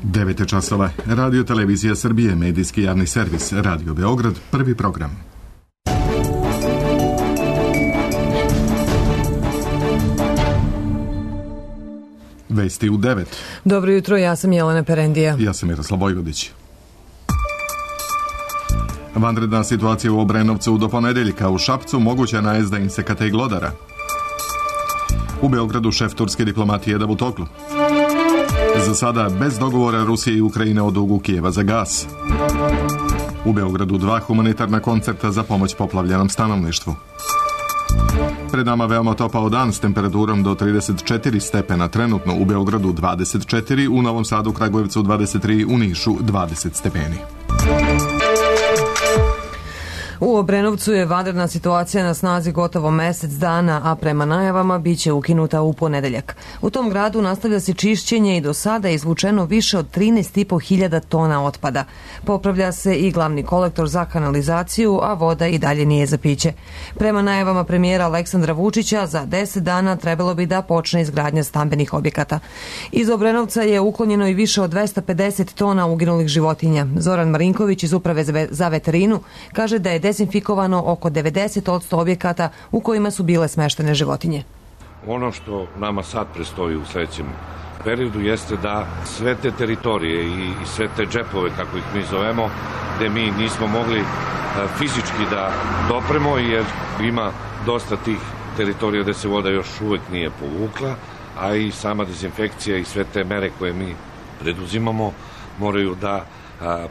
9 časova. Radio Televizija Srbije, medijski javni servis, Radio Beograd, prvi program. Vesti u 9. Dobro jutro, ja sam Jelena Perendija. Ja sam Miroslav Vojvodić. Vanredna situacija u Obrenovcu do ponedeljka, u Šapcu moguća najezda insekata i glodara. U Beogradu šef turske diplomatije Davutoglu. Za sada bez dogovora Rusije i Ukrajine o dugu Kijeva za gas. U Beogradu 2 humanitarna koncerta za pomoć poplavljenom stanovništvu. Pred nama veoma topao dan s temperaturom do 34 stepena, trenutno u Beogradu 24, u Novom Sadu, Kragujevcu 23, u Nišu 20 stepeni. U Obrenovcu je vanredna situacija na snazi gotovo mesec dana, a prema najavama biće ukinuta u ponedeljak. U tom gradu nastavlja se čišćenje i do sada je izvučeno više od 13.500 tona otpada. Popravlja se i glavni kolektor za kanalizaciju, a voda i dalje nije za piće. Prema najavama premijera Aleksandra Vučića, za 10 dana trebalo bi da počne izgradnja stambenih objekata. Iz Obrenovca je uklonjeno i više od 250 tona uginulih životinja. Zoran Marinković iz Uprave za veterinu kaže da je dezinfikovano oko 90% objekata u kojima su bile smeštene životinje. Ono što nama sad predstoji u sledećem periodu jeste da sve te teritorije i sve te džepove, kako ih mi zovemo, gde mi nismo mogli fizički da dopremo, jer ima dosta tih teritorija gde se voda još uvek nije povukla, a i sama dezinfekcija i sve te mere koje mi preduzimamo moraju da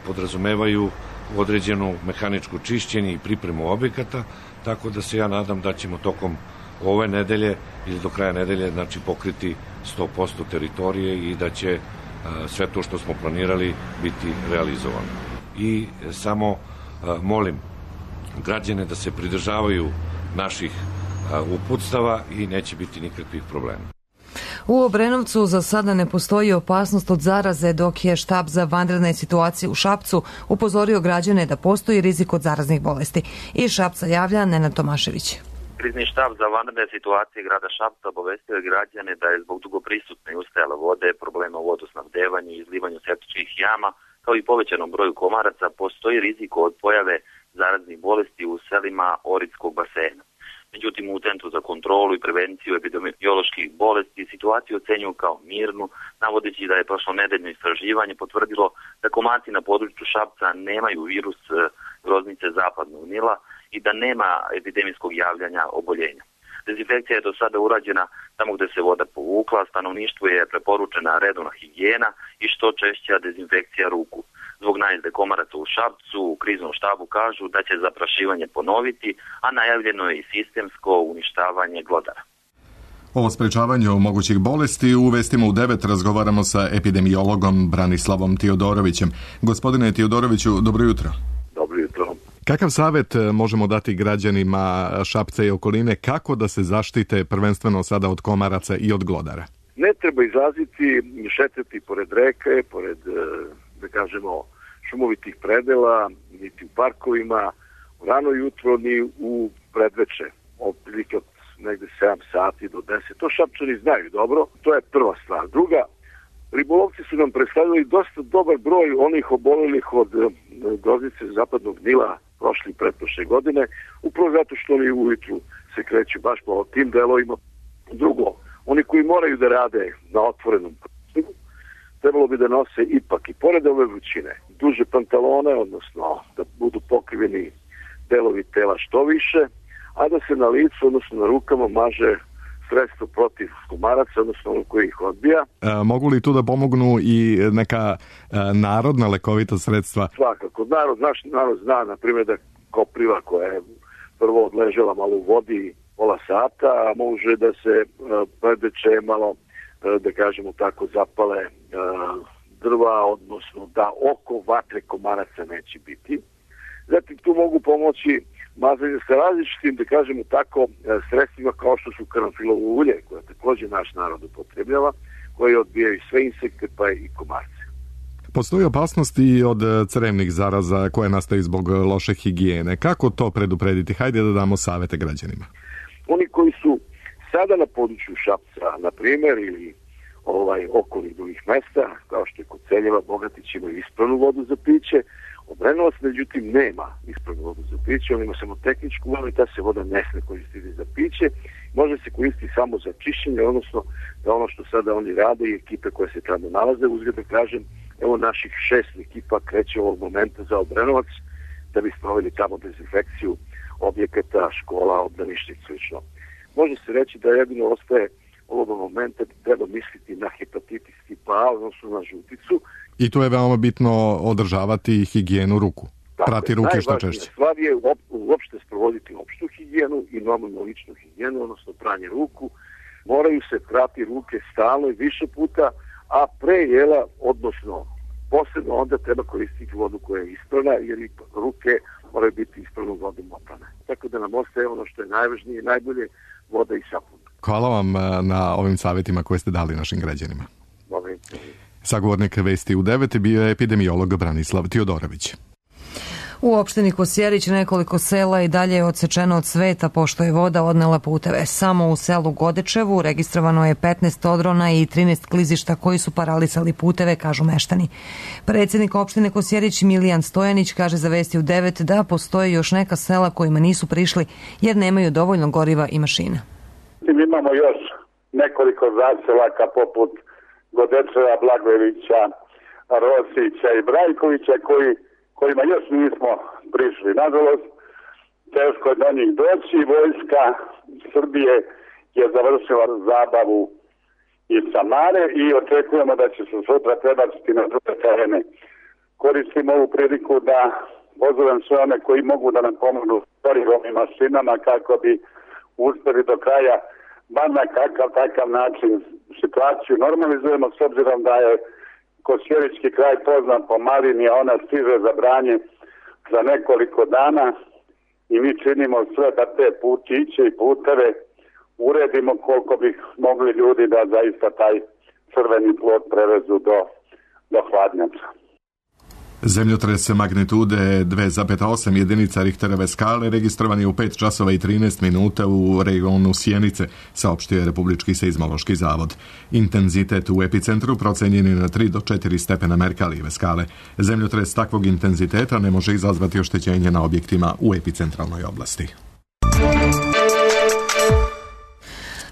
podrazumevaju određenu mehaničku čišćenje i pripremu objekata, tako da se ja nadam da ćemo tokom ove nedelje ili do kraja nedelje pokriti 100% teritorije i da će sve to što smo planirali biti realizovano. I samo molim građane da se pridržavaju naših uputstava i neće biti nikakvih problema. U Obrenovcu za sada ne postoji opasnost od zaraze, dok je štab za vanredne situacije u Šapcu upozorio građane da postoji rizik od zaraznih bolesti. Iz Šapca javlja Nenad Tomašević. Krizni štab za vanredne situacije grada Šapca obavestio je građane da je zbog dugo prisutne i ustajale vode, problema u vodosnabdevanju i izlivanju septičkih jama, kao i povećanom broju komaraca, postoji rizik od pojave zaraznih bolesti u selima Oritskog basena. Međutim, u Centru za kontrolu i prevenciju epidemioloških bolesti situaciju ocenjuju kao mirnu, navodeći da je prošlonedeljno istraživanje potvrdilo da komarci na području Šapca nemaju virus groznice zapadnog Nila i da nema epidemijskog javljanja oboljenja. Dezinfekcija je do sada urađena tamo gde se voda povukla, stanovništvu je preporučena redovna higijena i što češća dezinfekcija ruku. Zbog najezde komaraca u Šapcu, u kriznom štabu kažu da će zaprašivanje ponoviti, a najavljeno je i sistemsko uništavanje glodara. O sprečavanju mogućih bolesti u vestima u 9 razgovaramo sa epidemiologom Branislavom Tiodorovićem. Gospodine Tiodoroviću, dobro jutro. Dobro jutro. Kakav savjet možemo dati građanima Šapca i okoline, kako da se zaštite prvenstveno sada od komaraca i od glodara? Ne treba izlaziti, šetati pored reke, pored, da kažemo, šumovitih predela, niti u parkovima, u rano jutro, ni u predveče, otprilike od negde 7 sati do 10. To Šapčani znaju dobro, to je prva stvar. Druga, ribolovci su nam predstavili dosta dobar broj onih obolelih od groznice zapadnog Nila prošle i pretprošle godine, upravo zato što oni ujutru se kreću baš po tim delovima. Drugo, oni koji moraju da rade na otvorenom prostoru, trebalo bi da nose ipak i pored ove vrućine duže pantalone, odnosno da budu pokriveni delovi tela što više, a da se na licu, odnosno na rukama, maže sredstvo protiv komaraca, odnosno ono koji ih odbija. Mogu li tu da pomognu i neka narodna lekovita sredstva? Svakako. Naš narod zna, na primjer, da kopriva koja je prvo odležela malo u vodi pola sata, a može da se predveče malo, da kažemo tako, zapale drva, odnosno da oko vatre komaraca neće biti. Zatim tu mogu pomoći mazanje sa različitim, da kažemo tako, sredstvima kao što su karanfilovo ulje, koje takođe naš narod upotrebljava, koje odbijaju sve insekte pa i komarce. Postoji opasnost i od crevnih zaraza koje nastaju zbog loše higijene. Kako to preduprediti? Hajde da damo savete građanima. Oni koji su sada na području Šapca, na primjer, ili okolnih drugih mesta, kao što je Koceljeva, Bogatić imaju ispravnu vodu za piće. Obrenovac, međutim, nema ispravnu vodu za piće, on ima samo tehničku vodu i ta se voda ne sme koristiti za piće. Može se koristiti samo za čišćenje, odnosno da ono što sada oni rade i ekipe koje se tamo nalaze, uzgled da kažem, evo naših 6 ekipa kreće ovog momenta za Obrenovac, da bi sproveli tamo dezinfekciju objekata, škola, obdaništa i slično. Može se reći da jedino ostaje ovog momenta da treba misliti na hepatitis tipa A, odnosno na žuticu. I tu je veoma bitno održavati higijenu ruku. Prati ruke što češće. Najvažnija stvar je uopšte sprovoditi opštu higijenu i normalnu ličnu higijenu, odnosno pranje ruku. Moraju se prati ruke stalno i više puta, a pre jela, odnosno posebno onda treba koristiti vodu koja je ispravna, jer i ruke moraju biti ispravnom vodom oprane. Tako da nam ostaje ono što je najvažnije i najbolje, voda i sapun. Hvala vam na ovim savjetima koje ste dali našim građanima. Sagovornik Vesti u 9 bio je epidemiolog Branislav Tiodorović. U opštini Kosjerić nekoliko sela i dalje je odsečeno od sveta pošto je voda odnela puteve. Samo u selu Godečevu registrovano je 15 odrona i 13 klizišta koji su paralisali puteve, kažu meštani. Predsjednik opštine Kosjerić Milijan Stojanić kaže za Vesti u 9 da postoje još neka sela kojima nisu prišli jer nemaju dovoljno goriva i mašina. Imamo još nekoliko zaselaka poput Godečeva, Blagojevića, Rosića i Brajkovića kojima još nismo prišli. Nažalost, teško je do njih doći. Vojska Srbije je završila zabavu iz Samare i očekujemo da će se sutra prebaciti na druge terene. Koristim ovu priliku da pozovem sve one koji mogu da nam pomognu gorivom i mašinama kako bi uspeli do kraja bar na takav način situaciju normalizujemo, s obzirom da je Kosjerički kraj poznat po malini, a ona stiže za branje za nekoliko dana i mi činimo sve da te putiće i puteve uredimo koliko bi mogli ljudi da zaista taj crveni plod prevezu do hladnjača. Zemljotres magnitude 2,8 jedinica Richterove skale registrovan je u 5 časova i 13 minuta u regionu Sjenice, saopštio je Republički seizmološki zavod. Intenzitet u epicentru procenjen je na 3 do 4 stepena Merkalijeve skale. Zemljotres takvog intenziteta ne može izazvati oštećenje na objektima u epicentralnoj oblasti.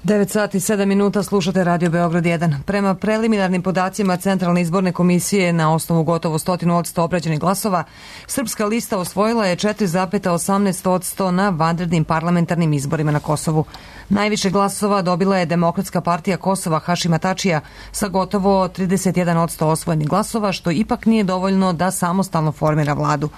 9 sati 7 minuta, slušate Radio Beograd 1. Prema preliminarnim podacima Centralne izborne komisije na osnovu gotovo 100% obrađenih glasova, Srpska lista osvojila je 4,18% na vanrednim parlamentarnim izborima na Kosovu. Najviše glasova dobila je Demokratska partija Kosova Hašima Tačija sa gotovo 31% osvojenih glasova, što ipak nije dovoljno da samostalno formira vladu.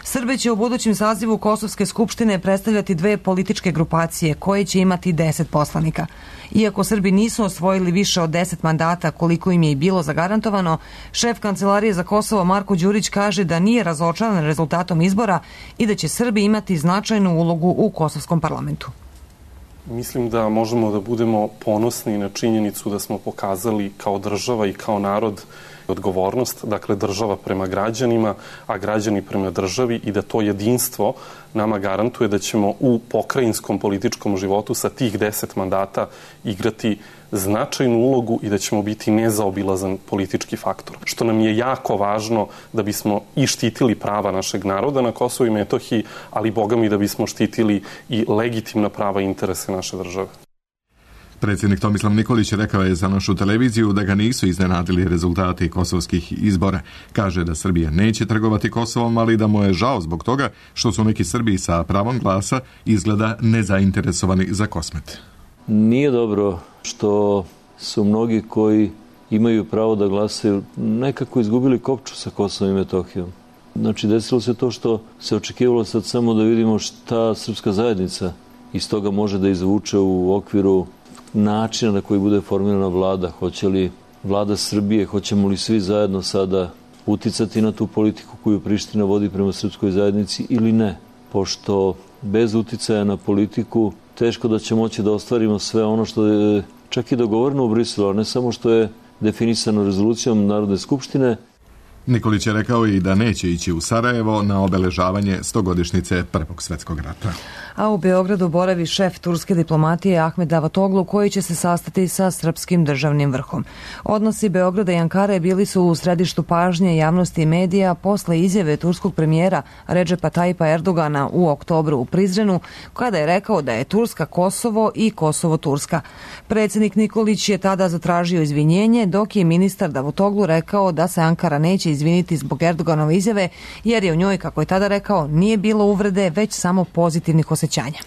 Srbe će u budućem sazivu Kosovske skupštine predstavljati dve političke grupacije koje će imati 10 poslanika. Iako Srbi nisu osvojili više od 10 mandata koliko im je i bilo zagarantovano, šef Kancelarije za Kosovo Marko Đurić kaže da nije razočaran rezultatom izbora i da će Srbi imati značajnu ulogu u kosovskom parlamentu. Mislim da možemo da budemo ponosni na činjenicu da smo pokazali kao država i kao narod odgovornost, dakle država prema građanima, a građani prema državi, i da to jedinstvo nama garantuje da ćemo u pokrajinskom političkom životu sa tih 10 mandata igrati značajnu ulogu i da ćemo biti nezaobilazan politički faktor. Što nam je jako važno da bismo i štitili prava našeg naroda na Kosovu i Metohiji, ali bogami da bismo štitili i legitimna prava i interese naše države. Predsjednik Tomislav Nikolić rekao je za našu televiziju da ga nisu iznenadili rezultati kosovskih izbora. Kaže da Srbija neće trgovati Kosovom, ali da mu je žao zbog toga što su neki Srbi sa pravom glasa izgleda nezainteresovani za Kosmet. Nije dobro što su mnogi koji imaju pravo da glasaju nekako izgubili kopču sa Kosovom i Metohijom. Znači, desilo se to što se očekivalo sad samo da vidimo šta srpska zajednica iz toga može da izvuče u okviru načina na koji bude formirana vlada. Hoće li vlada Srbije, hoćemo li svi zajedno sada uticati na tu politiku koju Priština vodi prema srpskoj zajednici ili ne? Pošto bez uticaja na politiku teško da će moći da ostvarimo sve ono što je čak i dogovoreno u Briselu, a ne samo što je definisano rezolucijom Narodne skupštine. Nikolić je rekao i da neće ići u Sarajevo na obeležavanje 100-godišnjice Prvog svjetskog rata. A u Beogradu boravi šef turske diplomatije Ahmed Davutoglu, koji će se sastati sa srpskim državnim vrhom. Odnosi Beograda i Ankare bili su u središtu pažnje javnosti i medija posle izjave turskog premijera Redžepa Tajipa Erdogana u oktobru u Prizrenu, kada je rekao da je Turska Kosovo i Kosovo Turska. Predsjednik Nikolić je tada zatražio izvinjenje, dok je ministar Davutoglu rekao da se Ankara neće izviniti zbog Erdoganove izjave, jer je u njoj, kako je tada rekao, nije bilo uvrede, već samo pozitivnih osjećanja.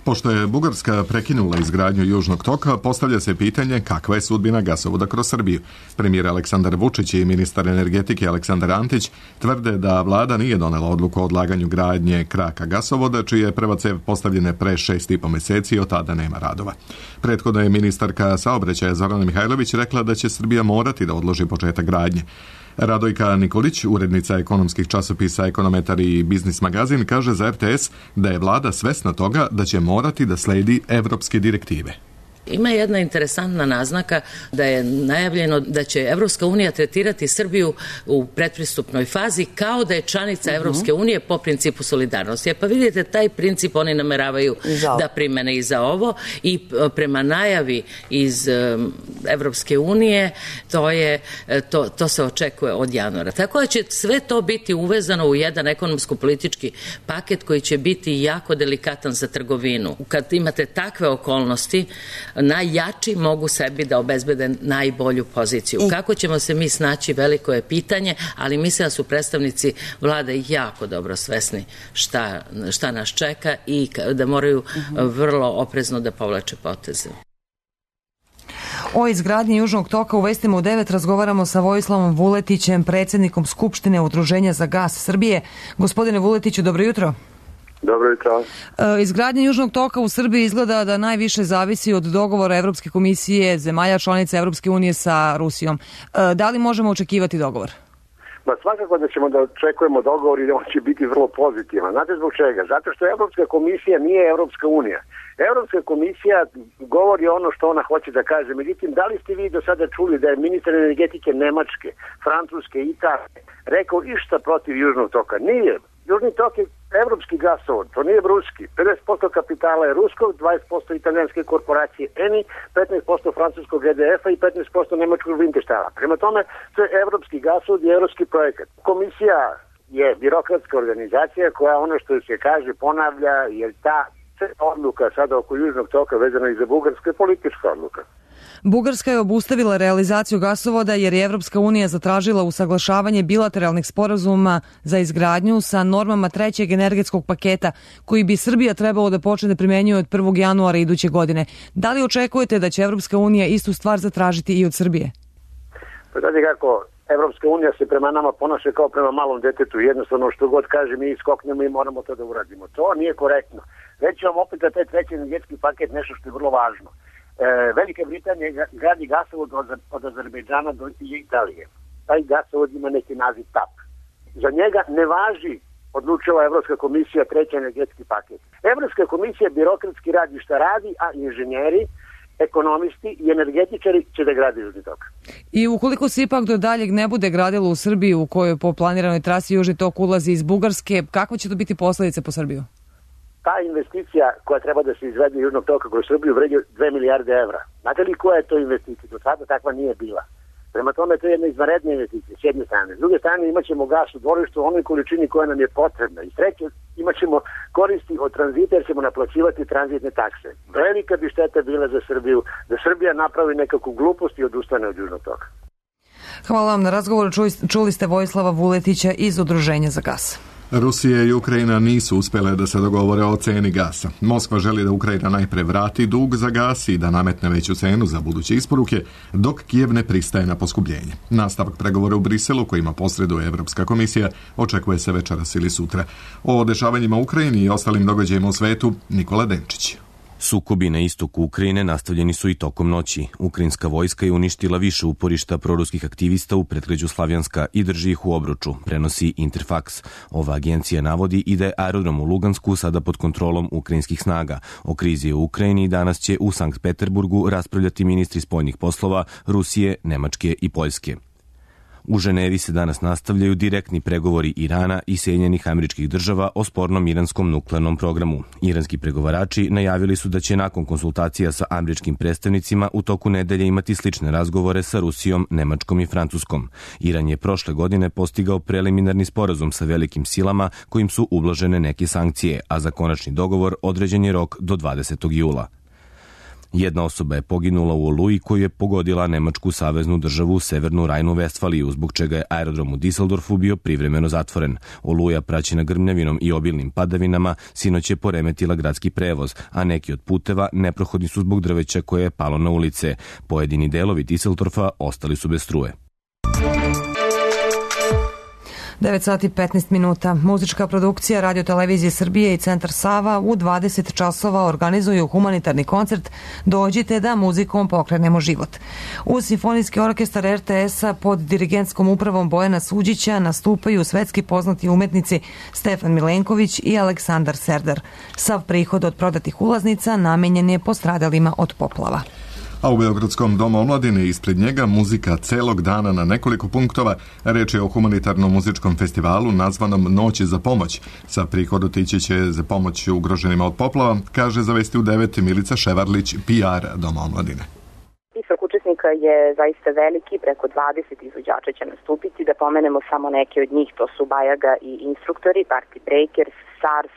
Pošto je Bugarska prekinula izgradnju Južnog toka, postavlja se pitanje kakva je sudbina gasovoda kroz Srbiju. Premijer Aleksandar Vučić i ministar energetike Aleksandar Antić tvrde da vlada nije donela odluku o odlaganju gradnje kraka gasovoda, čija je prva cev postavljena pre 6,5 meseci i od tada nema radova. Prethodno je ministarka saobraćaja Zorana Mihajlović rekla da će Srbija morati da odloži početak gradnje. Radojka Nikolić, urednica ekonomskih časopisa Ekonometar i Biznis magazin, kaže za RTS da je vlada svesna toga da će morati da sledi evropske direktive. Ima jedna interesantna naznaka da je najavljeno da će Evropska unija tretirati Srbiju u predpristupnoj fazi kao da je članica Evropske unije po principu solidarnosti. Pa vidite, taj princip oni nameravaju da primene i za ovo i prema najavi iz Evropske unije to se očekuje od januara. Tako da će sve to biti uvezano u jedan ekonomsko-politički paket koji će biti jako delikatan za trgovinu. Kad imate takve okolnosti, najjači mogu sebi da obezbede najbolju poziciju. Kako ćemo se mi snaći, veliko je pitanje, ali mislim da su predstavnici vlade jako dobro svesni šta nas čeka i da moraju vrlo oprezno da povlače poteze. O izgradnji Južnog toka u Vestima u 9 razgovaramo sa Vojislavom Vuletićem, predsjednikom Skupštine Udruženja za gas Srbije. Gospodine Vuletiću, dobro jutro. Dobro jutro. Izgradnja Južnog toka u Srbiji izgleda da najviše zavisi od dogovora Evropske komisije, zemalja članica Evropske unije sa Rusijom. Da li možemo očekivati dogovor? Svakako da ćemo da očekujemo dogovor i da on će biti vrlo pozitivan. Znate zbog čega? Zato što Evropska komisija nije Evropska unija. Evropska komisija govori ono što ona hoće da kaže. Međutim, da li ste vi do sada čuli da je ministar energetike Nemačke, Francuske i Italije rekao išta protiv Južnog toka? Nije. Južni tok je evropski gasovod, to nije ruski. 50% kapitala je ruskog, 20% italijanske korporacije ENI, 15% francuskog EDF-a i 15% nemačkog Winterstala. Prema tome, to je evropski gasovod i evropski projekat. Komisija je birokratska organizacija koja ono što se kaže ponavlja, jer ta odluka sada oko Južnog toka vezana i za Bugarsku je politička odluka. Bugarska je obustavila realizaciju gasovoda jer je Evropska unija zatražila usaglašavanje bilateralnih sporazuma za izgradnju sa normama trećeg energetskog paketa koji bi Srbija trebalo da počne da primenjuje od 1. januara iduće godine. Da li očekujete da će Evropska unija istu stvar zatražiti i od Srbije? Pa znate kako, Evropska unija se prema nama ponaša kao prema malom detetu. Jednostavno što god kaže mi iskoknemo i moramo to da uradimo. To nije korektno. Reći vam opet da taj treći energetski paket nešto što je vrlo važno. Velika Britanija gradi gasovod od Azerbejdžana do Italije. Taj gasovod ima neki naziv TAP. Za njega ne važi, odlučila Evropska komisija, treći energetski paket. Evropska komisija birokratski radi šta radi, a inženjeri, ekonomisti i energetičari će da grade Južni tok. I ukoliko se ipak do daljeg ne bude gradilo u Srbiji, u kojoj po planiranoj trasi Južni tok ulazi iz Bugarske, kakva će to biti posledice po Srbiju? Ta investicija koja treba da se izvede Južnog toka kroz Srbiju vredi 2 milijarde evra. Znate li koja je to investicija? Do sada takva nije bila. Prema tome to je jedna izvanredna investicija s jedne strane. S druge strane imat ćemo gas u dvorištu u onoj količini koja nam je potrebna. I treće, imat ćemo koristi od tranzita jer ćemo naplaćivati tranzitne takse. Velika bi šteta bila za Srbiju da Srbija napravi nekakvu glupost i odustane od Južnog toka. Hvala vam na razgovoru. Čuli ste Vojislava Vuletića iz Udruženja za gas. Rusija i Ukrajina nisu uspjele da se dogovore o ceni gasa. Moskva želi da Ukrajina najpre vrati dug za gas i da nametne veću cenu za buduće isporuke, dok Kijev ne pristaje na poskupljenje. Nastavak pregovora u Briselu, kojima posreduje Evropska komisija, očekuje se večeras ili sutra. O dešavanjima u Ukrajini i ostalim događajima u svetu, Nikola Denčić. Sukobi na istoku Ukrajine nastavljeni su i tokom noći. Ukrajinska vojska je uništila više uporišta proruskih aktivista u predgrađu Slavjanska i drži ih u obruču, prenosi Interfax. Ova agencija navodi i da je aerodrom u Lugansku sada pod kontrolom ukrajinskih snaga. O krizi u Ukrajini danas će u Sankt Peterburgu raspravljati ministri spoljnih poslova Rusije, Nemačke i Poljske. U Ženevi se danas nastavljaju direktni pregovori Irana i Sjedinjenih Američkih Država o spornom iranskom nuklearnom programu. Iranski pregovarači najavili su da će nakon konsultacija sa američkim predstavnicima u toku nedelje imati slične razgovore sa Rusijom, Nemačkom i Francuskom. Iran je prošle godine postigao preliminarni sporazum sa velikim silama kojim su ublažene neke sankcije, a za konačni dogovor određen je rok do 20. jula. Jedna osoba je poginula u oluji koju je pogodila nemačku saveznu državu Severnu Rajnu-Vestfaliju, zbog čega je aerodrom u Düsseldorfu bio privremeno zatvoren. Oluja, praćena grmljavinom i obilnim padavinama, sinoć je poremetila gradski prevoz, a neki od puteva neprohodni su zbog drveća koje je palo na ulice. Pojedini delovi Düsseldorfa ostali su bez struje. 9 sati 15 minuta. Muzička produkcija Radio Televizije Srbije i Centar Sava u 20 časova organizuju humanitarni koncert Dođite da muzikom pokrenemo život. Uz Simfonijski orkestar RTS-a pod dirigentskom upravom Bojana Suđića nastupaju svetski poznati umetnici Stefan Milenković i Aleksandar Serdar. Sav prihod od prodatih ulaznica namenjen je postradalima od poplava. A u Beogradskom domu omladine ispred njega muzika celog dana na nekoliko punktova. Reč je o humanitarnom muzičkom festivalu nazvanom Noći za pomoć. Sa prihod otići će za pomoć ugroženima od poplava, kaže za Vesti u 9 Milica Ševarlić, PR Doma omladine. Spisak učesnika je zaista veliki, preko 20 izvođača će nastupiti. Da pomenemo samo neke od njih, to su Bajaga i Instruktori, Party Breakers, SARS,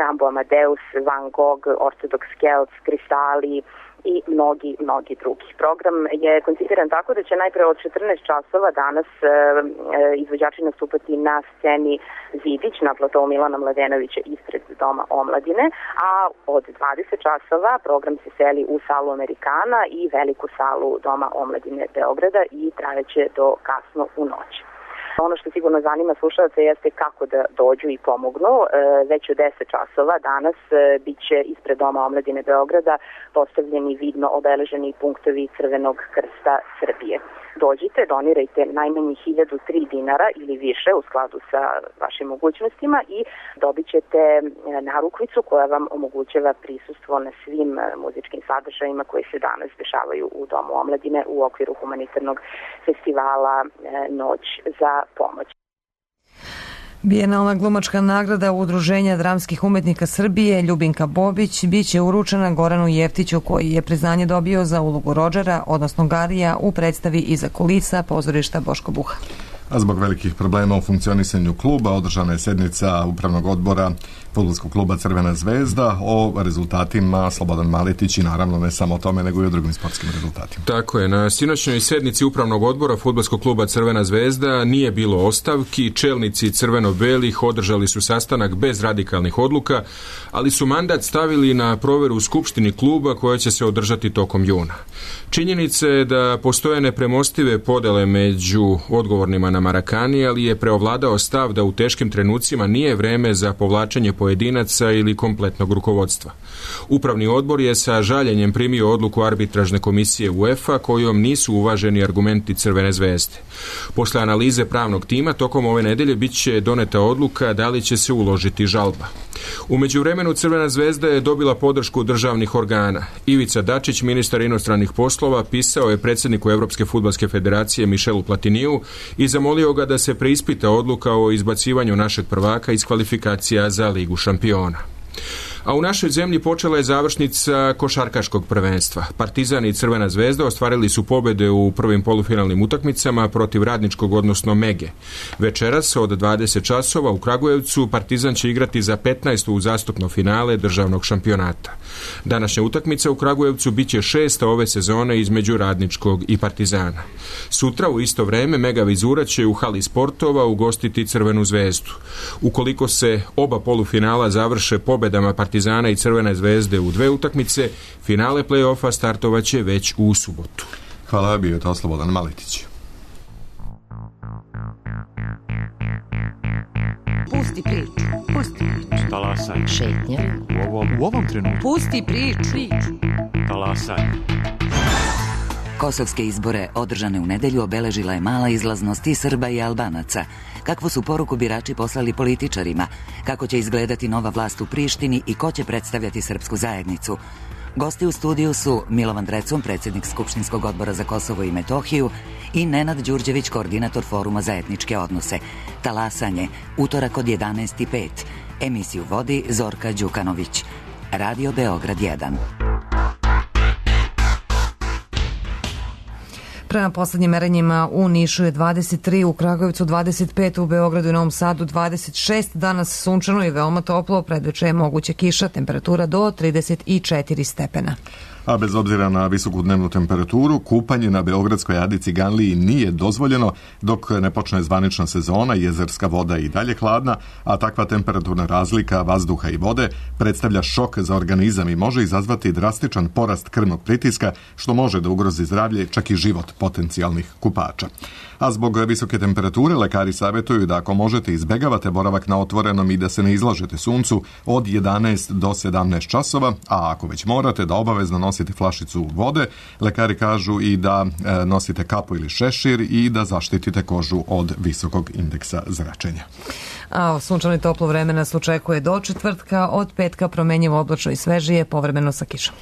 Rambo Amadeus, Van Gogh, Orthodox Celts, Kristali i mnogi drugi. Program je koncipiran tako da će najpre od 14 časova danas izvođači nastupati na sceni Zidić na platovu Milana Mladenovića ispred Doma omladine, a od 20 časova program se seli u salu Amerikana i veliku salu Doma omladine Beograda i trajeće do kasno u noć. Ono što sigurno zanima slušalce jeste kako da dođu i pomognu. Već u 10 časova danas bit će ispred Doma omladine Beograda postavljeni vidno obeleženi punktovi Crvenog krsta Srbije. Dođite, donirajte najmanje 1003 dinara ili više u skladu sa vašim mogućnostima i dobit ćete narukvicu koja vam omogućava prisustvo na svim muzičkim sadržajima koji se danas dešavaju u Domu omladine u okviru humanitarnog festivala Noć za pomoć. Bijenalna glumačka nagrada Udruženja dramskih umetnika Srbije Ljubinka Bobić biće uručena Goranu Jeftiću, koji je priznanje dobio za ulogu Rodžera, odnosno Garija, u predstavi Iza kulisa pozorišta Boško Buha. A zbog velikih problema u funkcionisanju kluba održana je sednica upravnog odbora fudbalskog kluba Crvena zvezda. O rezultatima Slobodan Maletić i naravno ne samo o tome nego i o drugim sportskim rezultatima. Tako je, na sinoćnoj sednici upravnog odbora fudbalskog kluba Crvena zvezda nije bilo ostavki, čelnici crveno-belih održali su sastanak bez radikalnih odluka, ali su mandat stavili na proveru u skupštini kluba koja će se održati tokom juna. Činjenica je da postoje nepremostive podele među odgovornima na Marakani, ali je preovladao stav da u teškim trenucima nije vreme za povlačenje pojedinaca ili kompletnog rukovodstva. Upravni odbor je sa žaljenjem primio odluku arbitražne komisije UEFA kojom nisu uvaženi argumenti Crvene zvezde. Posle analize pravnog tima tokom ove nedelje bit će doneta odluka da li će se uložiti žalba. U međuvremenu Crvena zvezda je dobila podršku državnih organa. Ivica Dačić, ministar inostranih poslova, pisao je predsjedniku Evropske fudbalske federacije Mišelu Platiniju i zamolio ga da se preispita odluka o izbacivanju našeg prvaka iz kvalifikacija za Ligu šampiona. A u našoj zemlji počela je završnica košarkaškog prvenstva. Partizan i Crvena zvezda ostvarili su pobjede u prvim polufinalnim utakmicama protiv Radničkog, odnosno Mege. Večeras od 20 časova u Kragujevcu Partizan će igrati za 15. uzastopno finale državnog šampionata. Današnja utakmica u Kragujevcu bit će 6. ove sezone između Radničkog i Partizana. Sutra u isto vreme Mega Vizura će u hali sportova ugostiti Crvenu zvezdu. Ukoliko se oba polufinala završe pobjedama Partizana i Crvene zvezde u dve utakmice, finale play-offa startovaće već u subotu. Hvala, bio je to Slobodan Maletić. Pusti priču. Talasaj. Šetnja. U ovom trenutku. Pusti priču. Talasaj. Kosovske izbore održane u nedelju obeležila je mala izlaznost i Srba i Albanaca. Kakvu su poruku birači poslali političarima? Kako će izgledati nova vlast u Prištini i ko će predstavljati srpsku zajednicu? Gosti u studiju su Milovan Drecun, predsjednik Skupštinskog odbora za Kosovo i Metohiju, i Nenad Đurđević, koordinator Foruma za etničke odnose. Talasanje, utorak od 11:05. Emisiju vodi Zorka Đukanović. Radio Beograd 1. Prema poslednjim merenjima u Nišu je 23, u Kragujevcu 25, u Beogradu i Novom Sadu 26, danas sunčano i veoma toplo, predveče je moguće kiša, temperatura do 34 stepena. A bez obzira na visoku dnevnu temperaturu, kupanje na Beogradskoj Adi Ciganliji nije dozvoljeno dok ne počne zvanična sezona, jezerska voda je i dalje hladna, a takva temperaturna razlika vazduha i vode predstavlja šok za organizam i može izazvati drastičan porast krvnog pritiska, što može da ugrozi zdravlje, čak i život potencijalnih kupača. A zbog visoke temperature lekari savjetuju da ako možete izbegavate boravak na otvorenom i da se ne izlažete suncu od 11 do 17 časova, a ako već morate da obavezno nosite flašicu vode, lekari kažu i da nosite kapu ili šešir i da zaštitite kožu od visokog indeksa zračenja. A sunčano i toplo vreme nas očekuje do četvrtka, od petka promenjivo oblačno i svežije, povremeno sa kišom.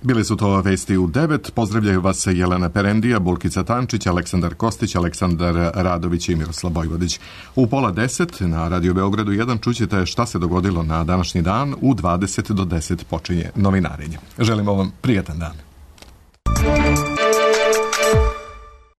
Bili su to vesti u 9. Pozdravljaju vas Jelena Perendija, Bulkica Tančić, Aleksandar Kostić, Aleksandar Radović i Miroslav Bojvodić. U 9:30 na Radio Beogradu 1 čućete šta se dogodilo na današnji dan. U 20 do 10 počinje novinarenje. Želimo vam prijatan dan.